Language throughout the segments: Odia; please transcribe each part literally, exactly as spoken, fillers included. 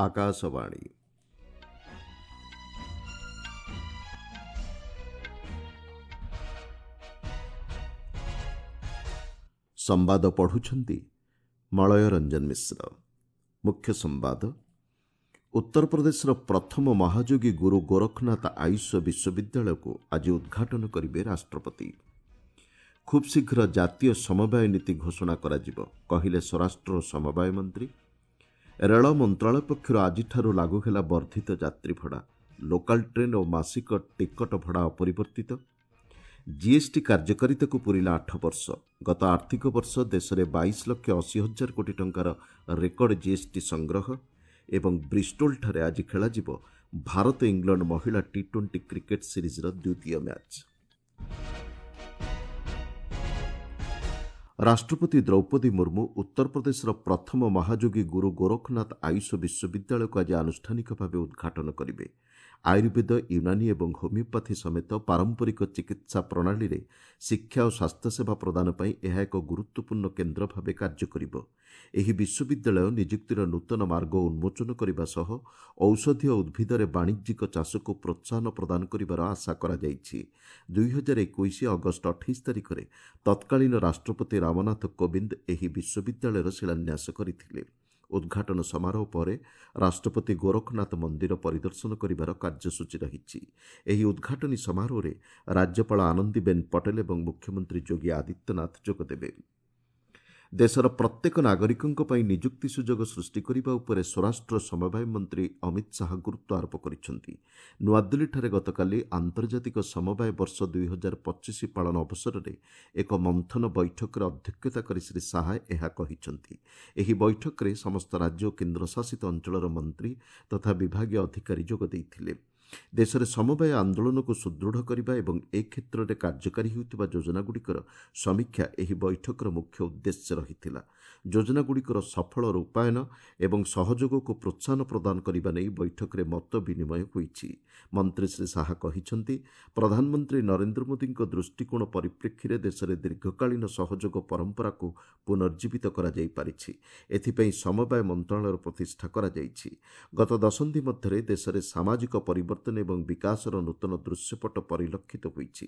ଆକାଶବାଣୀ। ସମ୍ବାଦ ପଢ଼ୁଛନ୍ତି ମଳୟ ରଞ୍ଜନ ମିଶ୍ର। ମୁଖ୍ୟ ସମ୍ବାଦ। ଉତ୍ତରପ୍ରଦେଶର ପ୍ରଥମ ମହାଯୋଗୀ ଗୁରୁ ଗୋରଖନାଥ ଆୟୁଷ ବିଶ୍ୱବିଦ୍ୟାଳୟକୁ ଆଜି ଉଦ୍ଘାଟନ କରିବେ ରାଷ୍ଟ୍ରପତି। ଖୁବ୍ ଶୀଘ୍ର ଜାତୀୟ ସମବାୟ ନୀତି ଘୋଷଣା କରାଯିବ, କହିଲେ ସ୍ୱରାଷ୍ଟ୍ର ଓ ସମବାୟ ମନ୍ତ୍ରୀ। ରେଳ ମନ୍ତ୍ରଣାଳୟ ପକ୍ଷରୁ ଆଜିଠାରୁ ଲାଗୁ ହେଲା ବର୍ଦ୍ଧିତ ଯାତ୍ରୀ ଭଡ଼ା। ଲୋକାଲ ଟ୍ରେନ୍ ଓ ମାସିକ ଟିକଟ ଭଡ଼ା ଅପରିବର୍ତ୍ତିତ। ଜିଏସ୍ଟି କାର୍ଯ୍ୟକାରିତାକୁ ପୂରିଲା ଆଠ ବର୍ଷ। ଗତ ଆର୍ଥିକ ବର୍ଷ ଦେଶରେ ବାଇଶ ଲକ୍ଷ ଅଶୀ ହଜାର କୋଟି ଟଙ୍କାର ରେକର୍ଡ ଜିଏସ୍ଟି ସଂଗ୍ରହ। ଏବଂ ବ୍ରିଷ୍ଟୋଲଠାରେ ଆଜି ଖେଳାଯିବ ଭାରତ ଇଂଲଣ୍ଡ ମହିଳା ଟି ଟ୍ୱେଣ୍ଟି କ୍ରିକେଟ୍ ସିରିଜ୍ର ଦ୍ୱିତୀୟ ମ୍ୟାଚ୍। ରାଷ୍ଟ୍ରପତି ଦ୍ରୌପଦୀ ମୁର୍ମୁ ଉତ୍ତରପ୍ରଦେଶର ପ୍ରଥମ ମହାଯୋଗୀ ଗୁରୁ ଗୋରଖନାଥ ଆୟୁଷ ବିଶ୍ୱବିଦ୍ୟାଳୟକୁ ଆଜି ଆନୁଷ୍ଠାନିକ ଭାବେ ଉଦ୍ଘାଟନ କରିବେ। ଆୟୁର୍ବେଦ, ୟୁନାନୀ ଏବଂ ହୋମିଓପାଥି ସମେତ ପାରମ୍ପରିକ ଚିକିତ୍ସା ପ୍ରଣାଳୀରେ ଶିକ୍ଷା ଓ ସ୍ୱାସ୍ଥ୍ୟସେବା ପ୍ରଦାନ ପାଇଁ ଏହା ଏକ ଗୁରୁତ୍ୱପୂର୍ଣ୍ଣ କେନ୍ଦ୍ର ଭାବେ କାର୍ଯ୍ୟ କରିବ। ଏହି ବିଶ୍ୱବିଦ୍ୟାଳୟ ନିଯୁକ୍ତିର ନୂତନ ମାର୍ଗ ଉନ୍ମୋଚନ କରିବା ସହ ଔଷଧୀୟ ଉଦ୍ଭିଦରେ ବାଣିଜ୍ୟିକ ଚାଷକୁ ପ୍ରୋତ୍ସାହନ ପ୍ରଦାନ କରିବାର ଆଶା କରାଯାଇଛି। ଦୁଇହଜାର ଏକୋଇଶ ଅଗଷ୍ଟ ଅଠେଇଶ ତାରିଖରେ ତତ୍କାଳୀନ ରାଷ୍ଟ୍ରପତି ରାମନାଥ କୋବିନ୍ଦ ଏହି ବିଶ୍ୱବିଦ୍ୟାଳୟର ଶିଳାନ୍ୟାସ କରିଥିଲେ। ଉଦ୍ଘାଟନ ସମାରୋହ ପରେ ରାଷ୍ଟ୍ରପତି ଗୋରଖନାଥ ମନ୍ଦିର ପରିଦର୍ଶନ କରିବାର କାର୍ଯ୍ୟସୂଚୀ ରହିଛି। ଏହି ଉଦ୍ଘାଟନୀ ସମାରୋହରେ ରାଜ୍ୟପାଳ ଆନନ୍ଦୀବେନ୍ ପଟେଲ ଏବଂ ମୁଖ୍ୟମନ୍ତ୍ରୀ ଯୋଗୀ ଆଦିତ୍ୟନାଥ ଯୋଗଦେବେ। ଦେଶର ପ୍ରତ୍ୟେକ ନାଗରିକଙ୍କ ପାଇଁ ନିଯୁକ୍ତି ସୁଯୋଗ ସୃଷ୍ଟି କରିବା ଉପରେ ସ୍ୱରାଷ୍ଟ୍ର ସମବାୟ ମନ୍ତ୍ରୀ ଅମିତ ଶାହା ଗୁରୁତ୍ୱ ଆରୋପ କରିଛନ୍ତି। ନୂଆଦିଲ୍ଲୀଠାରେ ଗତକାଲି ଆନ୍ତର୍ଜାତିକ ସମବାୟ ବର୍ଷ ଦୁଇହଜାର ପଚିଶ ପାଳନ ଅବସରରେ ଏକ ମନ୍ଥନ ବୈଠକରେ ଅଧ୍ୟକ୍ଷତା କରି ଶ୍ରୀ ଶାହା ଏହା କହିଛନ୍ତି। ଏହି ବୈଠକରେ ସମସ୍ତ ରାଜ୍ୟ ଓ କେନ୍ଦ୍ରଶାସିତ ଅଞ୍ଚଳର ମନ୍ତ୍ରୀ ତଥା ବିଭାଗୀୟ ଅଧିକାରୀ ଯୋଗ ଦେଇଥିଲେ। ଦେଶରେ ସମବାୟ ଆନ୍ଦୋଳନକୁ ସୁଦୃଢ଼ କରିବା ଏବଂ ଏ କ୍ଷେତ୍ରରେ କାର୍ଯ୍ୟକାରୀ ହେଉଥିବା ଯୋଜନାଗୁଡ଼ିକର ସମୀକ୍ଷା ଏହି ବୈଠକର ମୁଖ୍ୟ ଉଦ୍ଦେଶ୍ୟ ରହିଥିଲା। ଯୋଜନାଗୁଡ଼ିକର ସଫଳ ରୂପାୟନ ଏବଂ ସହଯୋଗକୁ ପ୍ରୋତ୍ସାହନ ପ୍ରଦାନ କରିବା ନେଇ ବୈଠକରେ ମତ ବିନିମୟ ହୋଇଛି। ମନ୍ତ୍ରୀ ଶ୍ରୀ ଶାହା କହିଛନ୍ତି, ପ୍ରଧାନମନ୍ତ୍ରୀ ନରେନ୍ଦ୍ର ମୋଦିଙ୍କ ଦୃଷ୍ଟିକୋଣ ପରିପ୍ରେକ୍ଷୀରେ ଦେଶରେ ଦୀର୍ଘକାଳୀନ ସହଯୋଗ ପରମ୍ପରାକୁ ପୁନର୍ଜୀବିତ କରାଯାଇପାରିଛି। ଏଥିପାଇଁ ସମବାୟ ମନ୍ତ୍ରଣାଳୟର ପ୍ରତିଷ୍ଠା କରାଯାଇଛି। ଗତ ଦଶନ୍ଧି ମଧ୍ୟରେ ଦେଶରେ ସାମାଜିକ ପରିବର୍ତ୍ତନ ଏବଂ ବିକାଶର ନୂତନ ଦୃଶ୍ୟପଟ ପରିଲକ୍ଷିତ ହୋଇଛି।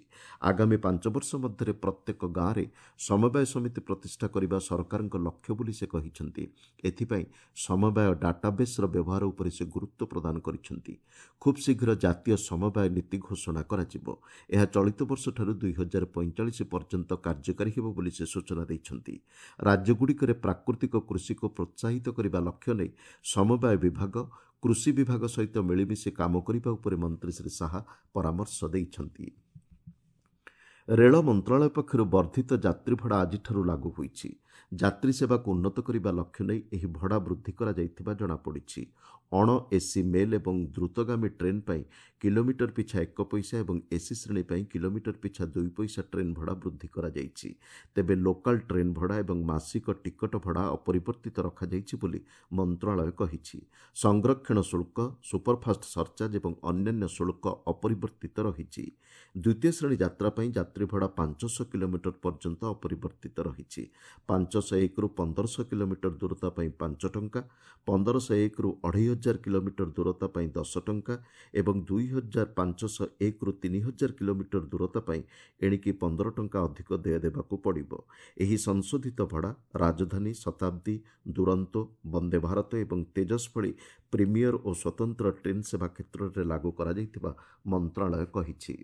ଆଗାମୀ ପାଞ୍ଚ ବର୍ଷ ମଧ୍ୟରେ ପ୍ରତ୍ୟେକ ଗାଁରେ ସମବାୟ ସମିତି ପ୍ରତିଷ୍ଠା କରିବା ସରକାରଙ୍କ ଲକ୍ଷ୍ୟ ବୋଲି ସେ କହିଛନ୍ତି। ଏଥିପାଇଁ ସମବାୟ ଡାଟାବେସ୍ର ବ୍ୟବହାର ଉପରେ ସେ ଗୁରୁତ୍ୱ ପ୍ରଦାନ କରିଛନ୍ତି। ଖୁବ୍ ଶୀଘ୍ର ଜାତୀୟ ସମବାୟ ନୀତି ଘୋଷଣା କରାଯିବ। ଏହା ଚଳିତ ବର୍ଷଠାରୁ ଦୁଇହଜାର ପଇଁଚାଳିଶ ପର୍ଯ୍ୟନ୍ତ କାର୍ଯ୍ୟକାରୀ ହେବ ବୋଲି ସେ ସୂଚନା ଦେଇଛନ୍ତି। ରାଜ୍ୟଗୁଡ଼ିକରେ ପ୍ରାକୃତିକ କୃଷିକୁ ପ୍ରୋତ୍ସାହିତ କରିବା ଲକ୍ଷ୍ୟ ନେଇ ସମବାୟ ବିଭାଗ କୃଷି ବିଭାଗ ସହିତ ମିଳିମିଶି କାମ କରିବା ଉପରେ ମନ୍ତ୍ରୀ ଶ୍ରୀ ଶାହା ପରାମର୍ଶ ଦେଇଛନ୍ତି। ରେଳ ମନ୍ତ୍ରଣାଳୟ ପକ୍ଷରୁ ବର୍ଦ୍ଧିତ ଯାତ୍ରୀ ଭଡ଼ା ଆଜିଠାରୁ ଲାଗୁ ହୋଇଛି। ଯାତ୍ରୀ ସେବାକୁ ଉନ୍ନତ କରିବା ଲକ୍ଷ୍ୟ ନେଇ ଏହି ଭଡ଼ା ବୃଦ୍ଧି କରାଯାଇଥିବା ଜଣାପଡ଼ିଛି। ଅଣ ଏସି ମେଲ୍ ଏବଂ ଦ୍ରୁତଗାମୀ ଟ୍ରେନ୍ ପାଇଁ କିଲୋମିଟର ପିଛା ଏକ ପଇସା ଏବଂ ଏସି ଶ୍ରେଣୀ ପାଇଁ କିଲୋମିଟର ପିଛା ଦୁଇ ପଇସା ଟ୍ରେନ୍ ଭଡ଼ା ବୃଦ୍ଧି କରାଯାଇଛି। ତେବେ ଲୋକାଲ ଟ୍ରେନ୍ ଭଡ଼ା ଏବଂ ମାସିକ ଟିକଟ ଭଡ଼ା ଅପରିବର୍ତ୍ତିତ ରଖାଯାଇଛି ବୋଲି ମନ୍ତ୍ରଣାଳୟ କହିଛି। ସଂରକ୍ଷଣ ଶୁଳ୍କ, ସୁପରଫାଷ୍ଟ ସରଚାର୍ଜ ଏବଂ ଅନ୍ୟାନ୍ୟ ଶୁଳ୍କ ଅପରିବର୍ତ୍ତିତ ରହିଛି। ଦ୍ୱିତୀୟ ଶ୍ରେଣୀ ଯାତ୍ରା ପାଇଁ ଯାତ୍ରୀ ଭଡ଼ା ପାଞ୍ଚଶହ କିଲୋମିଟର ପର୍ଯ୍ୟନ୍ତ ଅପରିବର୍ତ୍ତିତ ରହିଛି। ପାଞ୍ଚଶହ ଏକରୁ ପନ୍ଦରଶହ କିଲୋମିଟର ଦୂରତା ପାଇଁ ପାଞ୍ଚ ଟଙ୍କା, ପନ୍ଦରଶହ ଏକରୁ ଅଢ଼େଇ ହଜାର କିଲୋମିଟର ଦୂରତା ପାଇଁ ଦଶ ଟଙ୍କା ଏବଂ ଦୁଇ ହଜାର ପାଞ୍ଚଶହ ଏକରୁ ତିନି ହଜାର କିଲୋମିଟର ଦୂରତା ପାଇଁ ଏଣିକି ପନ୍ଦର ଟଙ୍କା ଅଧିକ ଦେୟ ଦେବାକୁ ପଡ଼ିବ। ଏହି ସଂଶୋଧିତ ଭଡ଼ା ରାଜଧାନୀ, ଶତାବ୍ଦୀ, ଦୁରନ୍ତୋ, ବନ୍ଦେ ଭାରତ ଏବଂ ତେଜସ୍ ଭଳି ପ୍ରିମିୟର ଓ ସ୍ୱତନ୍ତ୍ର ଟ୍ରେନ୍ ସେବା କ୍ଷେତ୍ରରେ ଲାଗୁ କରାଯାଇଥିବା ମନ୍ତ୍ରଣାଳୟ କହିଛି।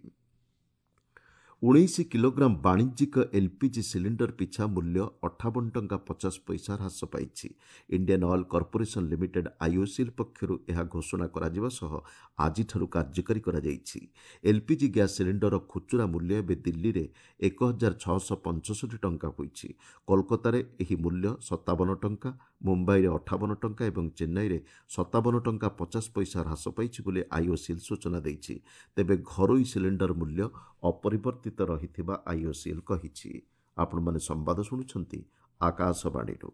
ଉଣେଇଶ କିଲୋଗ୍ରାମ ବାଣିଜ୍ୟିକ ଏଲ୍ପିଜି ସିଲିଣ୍ଡର ପିଛା ମୂଲ୍ୟ ଅଠାବନ ଟଙ୍କା ପଚାଶ ପଇସା ହ୍ରାସ ପାଇଛି। Indian oil corporation limited IOCL ପକ୍ଷରୁ ଏହା ଘୋଷଣା କରାଯିବା ସହ ଆଜିଠାରୁ କାର୍ଯ୍ୟକାରୀ କରାଯାଇଛି। ଏଲ୍ପିଜି ଗ୍ୟାସ୍ ସିଲିଣ୍ଡରର ଖୁଚୁରା ମୂଲ୍ୟ ଏବେ ଦିଲ୍ଲୀରେ ଏକ ହଜାର ଛଅଶହ ପଞ୍ଚଷଠି ଟଙ୍କା ହୋଇଛି। କୋଲକାତାରେ ଏହି ମୂଲ୍ୟ ସତାବନ ଟଙ୍କା, ମୁମ୍ବାଇରେ ଅଠାବନ ଟଙ୍କା ଏବଂ ଚେନ୍ନାଇରେ ସତାବନ ଟଙ୍କା ପଚାଶ ପଇସା ହ୍ରାସ ପାଇଛି ବୋଲି ଆଇଓସିଏଲ୍ ସୂଚନା ଦେଇଛି। ତେବେ ଘରୋଇ ସିଲିଣ୍ଡର ମୂଲ୍ୟ ଅପରିବର୍ତ୍ତିତ ରହିଥିବା ଆଇଓସିଏଲ୍ କହିଛି। ଆପଣମାନେ ସମ୍ବାଦ ଶୁଣୁଛନ୍ତି ଆକାଶବାଣୀରୁ।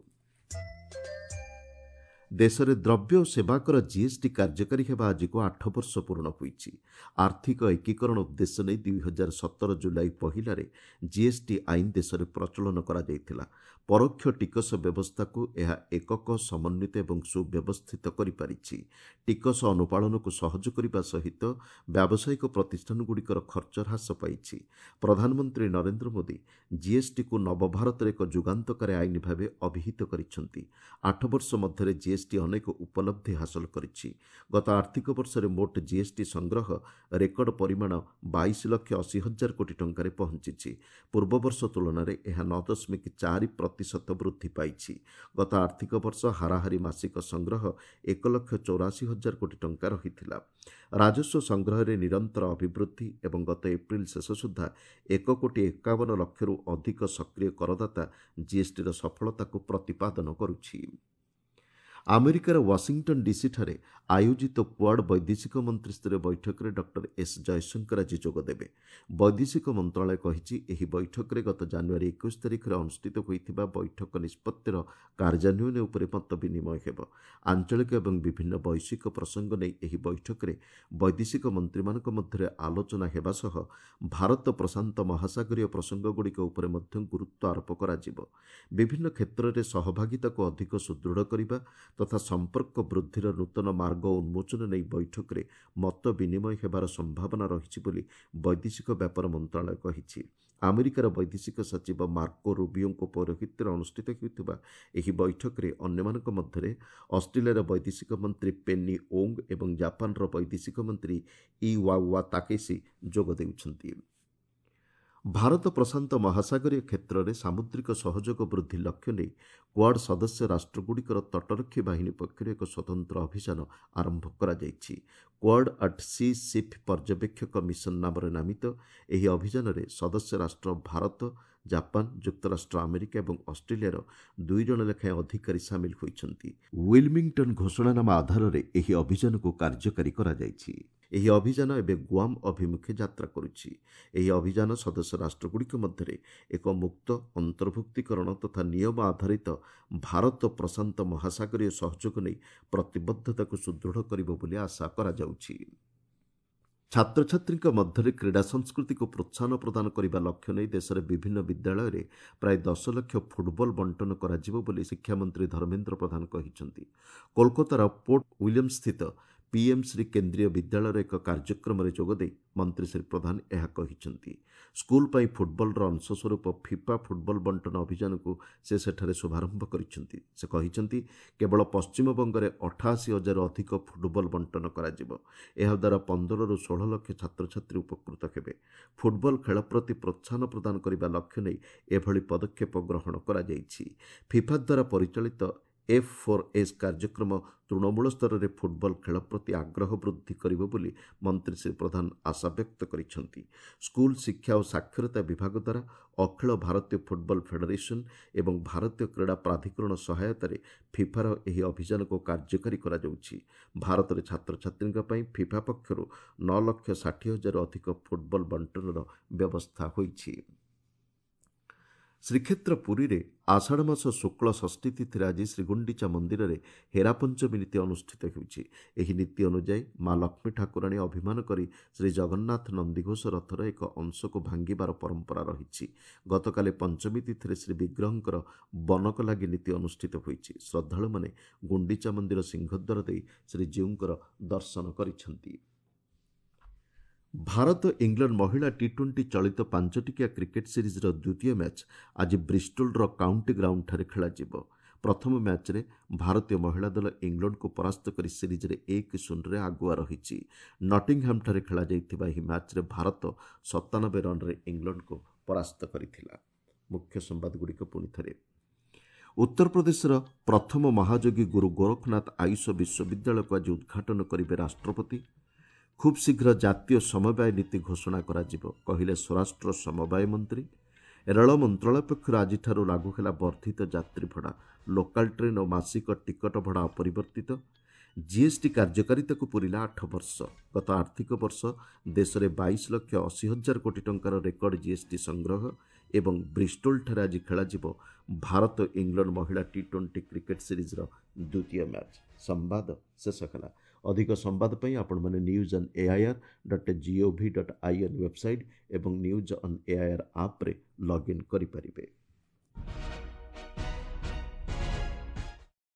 ଦେଶରେ ଦ୍ରବ୍ୟ ଓ ସେବାକର ଜିଏସ୍ଟି କାର୍ଯ୍ୟକାରୀ ହେବା ଆଜିକୁ ଆଠ ବର୍ଷ ପୂରଣ ହୋଇଛି। ଆର୍ଥିକ ଏକୀକରଣ ଉଦ୍ଦେଶ୍ୟ ନେଇ ଦୁଇ ହଜାର ସତର ଜୁଲାଇ ପହିଲାରେ ଜିଏସ୍ଟି ଆଇନ ଦେଶରେ ପ୍ରଚଳନ କରାଯାଇଥିଲା। ପରୋକ୍ଷ ଟିକସ ବ୍ୟବସ୍ଥାକୁ ଏହା ଏକକ, ସମନ୍ୱିତ ଏବଂ ସୁବ୍ୟବସ୍ଥିତ କରିପାରିଛି। ଟିକସ ଅନୁପାଳନକୁ ସହଜ କରିବା ସହିତ ବ୍ୟାବସାୟିକ ପ୍ରତିଷ୍ଠାନଗୁଡ଼ିକର ଖର୍ଚ୍ଚ ହ୍ରାସ ପାଇଛି। ପ୍ରଧାନମନ୍ତ୍ରୀ ନରେନ୍ଦ୍ର ମୋଦି ଜିଏସ୍ଟିକୁ ନବଭାରତର ଏକ ଯୁଗାନ୍ତକାରୀ ଆଇନ ଭାବେ ଅଭିହିତ କରିଛନ୍ତି। ଆଠ ବର୍ଷ ମଧ୍ୟରେ ଜିଏସ୍ଟି ଅନେକ ଉପଲବ୍ଧି ହାସଲ କରିଛି। ଗତ ଆର୍ଥିକ ବର୍ଷରେ ମୋଟ ଜିଏସ୍ଟି ସଂଗ୍ରହ ରେକର୍ଡ ପରିମାଣ ବାଇଶ ଲକ୍ଷ ଅଶୀ ହଜାର କୋଟି ଟଙ୍କାରେ ପହଞ୍ଚିଛି। ପୂର୍ବବର୍ଷ ତୁଳନାରେ ଏହା ନଅ ଦଶମିକ ଚାରି ପ୍ରତିଶତ ବୃଦ୍ଧି ପାଇଛି। ଗତ ଆର୍ଥିକ ବର୍ଷ ହାରାହାରି ମାସିକ ସଂଗ୍ରହ ଏକ ଲକ୍ଷ ଚଉରାଅଶୀ ହଜାର କୋଟି ଟଙ୍କା ରହିଥିଲା। ରାଜସ୍ୱ ସଂଗ୍ରହରେ ନିରନ୍ତର ଅଭିବୃଦ୍ଧି ଏବଂ ଗତ ଏପ୍ରିଲ ଶେଷ ସୁଦ୍ଧା ଏକ କୋଟି ଏକାବନ ଲକ୍ଷରୁ ଅଧିକ ସକ୍ରିୟ କରଦାତା ଜିଏସ୍ଟିର ସଫଳତାକୁ ପ୍ରତିପାଦନ କରୁଛି। ଆମେରିକାର ୱାଶିଂଟନ୍ ଡିସିଠାରେ ଆୟୋଜିତ କ୍ୱାଡ୍ ବୈଦେଶିକ ମନ୍ତ୍ରୀସ୍ତରୀୟ ବୈଠକରେ ଡକ୍ଟର ଏସ୍ ଜୟଶଙ୍କର ଆଜି ଯୋଗଦେବେ। ବୈଦେଶିକ ମନ୍ତ୍ରଣାଳୟ କହିଛି, ଏହି ବୈଠକରେ ଗତ ଜାନୁଆରୀ ଏକୋଇଶ ତାରିଖରେ ଅନୁଷ୍ଠିତ ହୋଇଥିବା ବୈଠକ ନିଷ୍ପତ୍ତିର କାର୍ଯ୍ୟାନ୍ୱୟନ ଉପରେ ମତ ବିନିମୟ ହେବ। ଆଞ୍ଚଳିକ ଏବଂ ବିଭିନ୍ନ ବୈଶ୍ୱିକ ପ୍ରସଙ୍ଗ ନେଇ ଏହି ବୈଠକରେ ବୈଦେଶିକ ମନ୍ତ୍ରୀମାନଙ୍କ ମଧ୍ୟରେ ଆଲୋଚନା ହେବା ସହ ଭାରତ ପ୍ରଶାନ୍ତ ମହାସାଗରୀୟ ପ୍ରସଙ୍ଗଗୁଡ଼ିକ ଉପରେ ମଧ୍ୟ ଗୁରୁତ୍ୱ ଆରୋପ କରାଯିବ। ବିଭିନ୍ନ କ୍ଷେତ୍ରରେ ସହଭାଗିତାକୁ ଅଧିକ ସୁଦୃଢ଼ କରିବା ତଥା ସମ୍ପର୍କ ବୃଦ୍ଧିର ନୂତନ ମାର୍ଗ ଉନ୍ମୋଚନ ନେଇ ବୈଠକରେ ମତ ବିନିମୟ ହେବାର ସମ୍ଭାବନା ରହିଛି ବୋଲି ବୈଦେଶିକ ବ୍ୟାପାର ମନ୍ତ୍ରଣାଳୟ କହିଛି। ଆମେରିକାର ବୈଦେଶିକ ସଚିବ ମାର୍କୋ ରୁବିଓଙ୍କ ପୌରୋହିତ୍ୟରେ ଅନୁଷ୍ଠିତ ହେଉଥିବା ଏହି ବୈଠକରେ ଅନ୍ୟମାନଙ୍କ ମଧ୍ୟରେ ଅଷ୍ଟ୍ରେଲିଆର ବୈଦେଶିକ ମନ୍ତ୍ରୀ ପେନି ଓଙ୍ଗ ଏବଂ ଜାପାନର ବୈଦେଶିକ ମନ୍ତ୍ରୀ ଇୱାୱା ତାକେସି ଯୋଗ ଦେଉଛନ୍ତି। ଭାରତ ପ୍ରଶାନ୍ତ ମହାସାଗରୀୟ କ୍ଷେତ୍ରରେ ସାମୁଦ୍ରିକ ସହଯୋଗ ବୃଦ୍ଧି ଲକ୍ଷ୍ୟ ନେଇ କ୍ୱାଡ୍ ସଦସ୍ୟ ରାଷ୍ଟ୍ରଗୁଡ଼ିକର ତଟରକ୍ଷୀ ବାହିନୀ ପକ୍ଷରୁ ଏକ ସ୍ୱତନ୍ତ୍ର ଅଭିଯାନ ଆରମ୍ଭ କରାଯାଇଛି। କ୍ୱାଡ୍ ଆଟ୍ ସି ସିପ୍ ପର୍ଯ୍ୟବେକ୍ଷକ ମିଶନ ନାମରେ ନାମିତ ଏହି ଅଭିଯାନରେ ସଦସ୍ୟ ରାଷ୍ଟ୍ର ଭାରତ, ଜାପାନ, ଯୁକ୍ତରାଷ୍ଟ୍ର ଆମେରିକା ଏବଂ ଅଷ୍ଟ୍ରେଲିଆର ଦୁଇ ଜଣ ଲେଖାଏଁ ଅଧିକାରୀ ସାମିଲ ହୋଇଛନ୍ତି। ୱିଲମିଂଟନ୍ ଘୋଷଣାନାମା ଆଧାରରେ ଏହି ଅଭିଯାନକୁ କାର୍ଯ୍ୟକାରୀ କରାଯାଇଛି। ଏହି ଅଭିଯାନ ଏବେ ଗୁଆମ୍ ଅଭିମୁଖେ ଯାତ୍ରା କରୁଛି। ଏହି ଅଭିଯାନ ସଦସ୍ୟ ରାଷ୍ଟ୍ରଗୁଡ଼ିକ ମଧ୍ୟରେ ଏକ ମୁକ୍ତ, ଅନ୍ତର୍ଭୁକ୍ତୀକରଣ ତଥା ନିୟମ ଆଧାରିତ ଭାରତ ପ୍ରଶାନ୍ତ ମହାସାଗରୀୟ ସହଯୋଗ ନେଇ ପ୍ରତିବଦ୍ଧତାକୁ ସୁଦୃଢ଼ କରିବ ବୋଲି ଆଶା କରାଯାଉଛି। ଛାତ୍ରଛାତ୍ରୀଙ୍କ ମଧ୍ୟରେ କ୍ରୀଡ଼ା ସଂସ୍କୃତିକୁ ପ୍ରୋତ୍ସାହନ ପ୍ରଦାନ କରିବା ଲକ୍ଷ୍ୟ ନେଇ ଦେଶରେ ବିଭିନ୍ନ ବିଦ୍ୟାଳୟରେ ପ୍ରାୟ ଦଶ ଲକ୍ଷ ଫୁଟବଲ ବଣ୍ଟନ କରାଯିବ ବୋଲି ଶିକ୍ଷାମନ୍ତ୍ରୀ ଧର୍ମେନ୍ଦ୍ର ପ୍ରଧାନ କହିଛନ୍ତି। କୋଲକାତାର ପୋର୍ଟ ୱିଲିୟମ୍ସସ୍ଥିତ ପିଏମ୍ ଶ୍ରୀ କେନ୍ଦ୍ରୀୟ ବିଦ୍ୟାଳୟର ଏକ କାର୍ଯ୍ୟକ୍ରମରେ ଯୋଗଦେଇ ମନ୍ତ୍ରୀ ଶ୍ରୀ ପ୍ରଧାନ ଏହା କହିଛନ୍ତି। ସ୍କୁଲ ପାଇଁ ଫୁଟବଲର ଅଂଶସ୍ୱରୂପ ଫିଫା ଫୁଟବଲ ବଣ୍ଟନ ଅଭିଯାନକୁ ସେ ସେଠାରେ ଶୁଭାରମ୍ଭ କରିଛନ୍ତି। ସେ କହିଛନ୍ତି, କେବଳ ପଶ୍ଚିମବଙ୍ଗରେ ଅଠାଅଶୀ ହଜାରରୁ ଅଧିକ ଫୁଟବଲ ବଣ୍ଟନ କରାଯିବ। ଏହାଦ୍ୱାରା ପନ୍ଦରରୁ ଷୋହଳ ଲକ୍ଷ ଛାତ୍ରଛାତ୍ରୀ ଉପକୃତ ହେବେ। ଫୁଟବଲ ଖେଳ ପ୍ରତି ପ୍ରୋତ୍ସାହନ ପ୍ରଦାନ କରିବା ଲକ୍ଷ୍ୟ ନେଇ ଏଭଳି ପଦକ୍ଷେପ ଗ୍ରହଣ କରାଯାଇଛି। ଫିଫା ଦ୍ୱାରା ପରିଚାଳିତ ଏଫ୍ ଫୋର୍ ଏସ୍ କାର୍ଯ୍ୟକ୍ରମ ତୃଣମୂଳ ସ୍ତରରେ ଫୁଟବଲ ଖେଳ ପ୍ରତି ଆଗ୍ରହ ବୃଦ୍ଧି କରିବ ବୋଲି ମନ୍ତ୍ରୀ ଶ୍ରୀ ପ୍ରଧାନ ଆଶାବ୍ୟକ୍ତ କରିଛନ୍ତି। ସ୍କୁଲ ଶିକ୍ଷା ଓ ସାକ୍ଷରତା ବିଭାଗ ଦ୍ୱାରା ଅଖିଳ ଭାରତୀୟ ଫୁଟବଲ ଫେଡେରେସନ୍ ଏବଂ ଭାରତୀୟ କ୍ରୀଡ଼ା ପ୍ରାଧିକରଣ ସହାୟତାରେ ଫିଫାର ଏହି ଅଭିଯାନକୁ କାର୍ଯ୍ୟକାରୀ କରାଯାଉଛି। ଭାରତରେ ଛାତ୍ରଛାତ୍ରୀଙ୍କ ପାଇଁ ଫିଫା ପକ୍ଷରୁ ନଅ ଲକ୍ଷ ଷାଠିଏ ହଜାରରୁ ଅଧିକ ଫୁଟବଲ ବଣ୍ଟନର ବ୍ୟବସ୍ଥା ହୋଇଛି। ଶ୍ରୀକ୍ଷେତ୍ର ପୁରୀରେ ଆଷାଢ଼ ମାସ ଶୁକ୍ଳ ଷଷ୍ଠୀ ତିଥିରେ ଆଜି ଶ୍ରୀଗୁଣ୍ଡିଚା ମନ୍ଦିରରେ ହେରାପଞ୍ଚମୀ ନୀତି ଅନୁଷ୍ଠିତ ହେଉଛି। ଏହି ନୀତି ଅନୁଯାୟୀ ମା ଲକ୍ଷ୍ମୀ ଠାକୁରାଣୀ ଅଭିମାନ କରି ଶ୍ରୀ ଜଗନ୍ନାଥ ନନ୍ଦିଘୋଷ ରଥର ଏକ ଅଂଶକୁ ଭାଙ୍ଗିବାର ପରମ୍ପରା ରହିଛି। ଗତକାଲି ପଞ୍ଚମୀ ତିଥିରେ ଶ୍ରୀ ବିଗ୍ରହଙ୍କର ବନକ ଲାଗି ନୀତି ଅନୁଷ୍ଠିତ ହୋଇଛି। ଶ୍ରଦ୍ଧାଳୁମାନେ ଗୁଣ୍ଡିଚା ମନ୍ଦିର ସିଂହଦ୍ୱାର ଦେଇ ଶ୍ରୀଜୀଉଙ୍କର ଦର୍ଶନ କରିଛନ୍ତି। ଭାରତ ଇଂଲଣ୍ଡ ମହିଳା ଟି ଟ୍ୱେଣ୍ଟି ଚଳିତ ପାଞ୍ଚଟିକିଆ କ୍ରିକେଟ୍ ସିରିଜ୍ର ଦ୍ୱିତୀୟ ମ୍ୟାଚ୍ ଆଜି ବ୍ରିଷ୍ଟୋଲର କାଉଣ୍ଟି ଗ୍ରାଉଣ୍ଡଠାରେ ଖେଳାଯିବ। ପ୍ରଥମ ମ୍ୟାଚ୍ରେ ଭାରତୀୟ ମହିଳା ଦଳ ଇଂଲଣ୍ଡକୁ ପରାସ୍ତ କରି ସିରିଜ୍ରେ ଏକ ଶୂନରେ ଆଗୁଆ ରହିଛି। ନଟିଂହାମ୍ଠାରେ ଖେଳାଯାଇଥିବା ଏହି ମ୍ୟାଚ୍ରେ ଭାରତ ସତାନବେ ରନ୍ରେ ଇଂଲଣ୍ଡକୁ ପରାସ୍ତ କରିଥିଲା। ମୁଖ୍ୟ ସମ୍ବାଦଗୁଡ଼ିକ ପୁଣି ଥରେ। ଉତ୍ତରପ୍ରଦେଶର ପ୍ରଥମ ମହାଯୋଗୀ ଗୁରୁ ଗୋରଖନାଥ ଆୟୁଷ ବିଶ୍ୱବିଦ୍ୟାଳୟକୁ ଆଜି ଉଦ୍ଘାଟନ କରିବେ ରାଷ୍ଟ୍ରପତି। ଖୁବ୍ ଶୀଘ୍ର ଜାତୀୟ ସମବାୟ ନୀତି ଘୋଷଣା କରାଯିବ, କହିଲେ ସ୍ୱରାଷ୍ଟ୍ର ସମବାୟ ମନ୍ତ୍ରୀ। ରେଳ ମନ୍ତ୍ରଣାଳୟ ପକ୍ଷରୁ ଆଜିଠାରୁ ଲାଗୁ ହେଲା ବର୍ଦ୍ଧିତ ଯାତ୍ରୀ ଭଡ଼ା। ଲୋକାଲ ଟ୍ରେନ୍ ଓ ମାସିକ ଟିକଟ ଭଡ଼ା ଅପରିବର୍ତ୍ତିତ। ଜିଏସ୍ଟି କାର୍ଯ୍ୟକାରିତାକୁ ପୂରିଲା ଆଠ ବର୍ଷ। ଗତ ଆର୍ଥିକ ବର୍ଷ ଦେଶରେ ବାଇଶ ଲକ୍ଷ ଅଶୀ ହଜାର କୋଟି ଟଙ୍କାର ରେକର୍ଡ ଜିଏସ୍ଟି ସଂଗ୍ରହ। ଏବଂ ବ୍ରିଷ୍ଟୋଲଠାରେ ଆଜି ଖେଳାଯିବ ଭାରତ ଇଂଲଣ୍ଡ ମହିଳା ଟି ଟ୍ୱେଣ୍ଟି କ୍ରିକେଟ୍ ସିରିଜ୍ର ଦ୍ୱିତୀୟ ମ୍ୟାଚ୍। ସମ୍ବାଦ ଶେଷ ହେଲା। ଅଧିକ ସମ୍ବାଦ ପାଇଁ ଆପଣମାନେ news on AIR dot GOV dot IN website ଏବଂ ନ୍ୟୁଜ୍ ଅନ୍ ଏଆଇଆର୍ ଆପ୍ରେ ଲଗ୍ଇନ୍ କରିପାରିବେ।